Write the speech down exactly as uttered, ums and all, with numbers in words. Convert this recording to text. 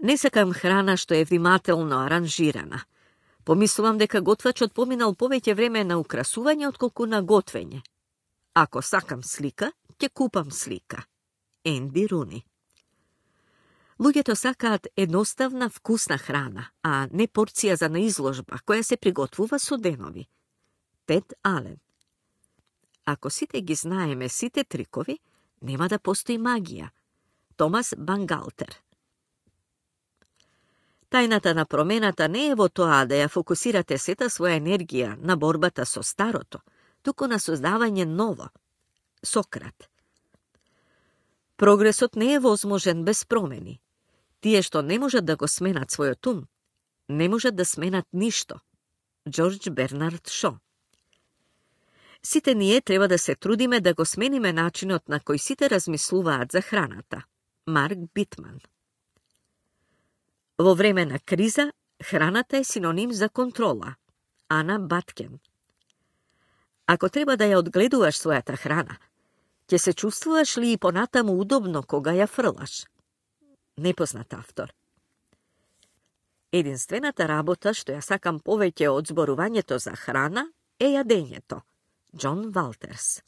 Не сакам храна што е внимателно аранжирана. Помислувам дека готвачот поминал повеќе време на украсување отколку на готвење. Ако сакам слика, ќе купам слика. Енди Руни. Луѓето сакаат едноставна, вкусна храна, а не порција за наизложба, која се приготвува со денови. Тед Ален. Ако сите ги знаеме сите трикови, нема да постои магија. Томас Бангалтер. Тајната на промената не е во тоа да ја фокусирате сета своја енергија на борбата со старото, туку на создавање ново. Сократ. Прогресот не е возможен без промени. Тие што не можат да го сменат својот ум, не можат да сменат ништо. Џорџ Бернард Шо. Сите ние треба да се трудиме да го смениме начинот на кој сите размислуваат за храната. Марк Битман. Во време на криза, храната е синоним за контрола. Ана Баткен. Ако треба да ја одгледуваш својата храна, ќе се чувствуваш ли и понатаму удобно кога ја фрлаш? Непознат автор. Единствената работа што ја сакам повеќе од зборувањето за храна е јадењето. Џон Валтерс.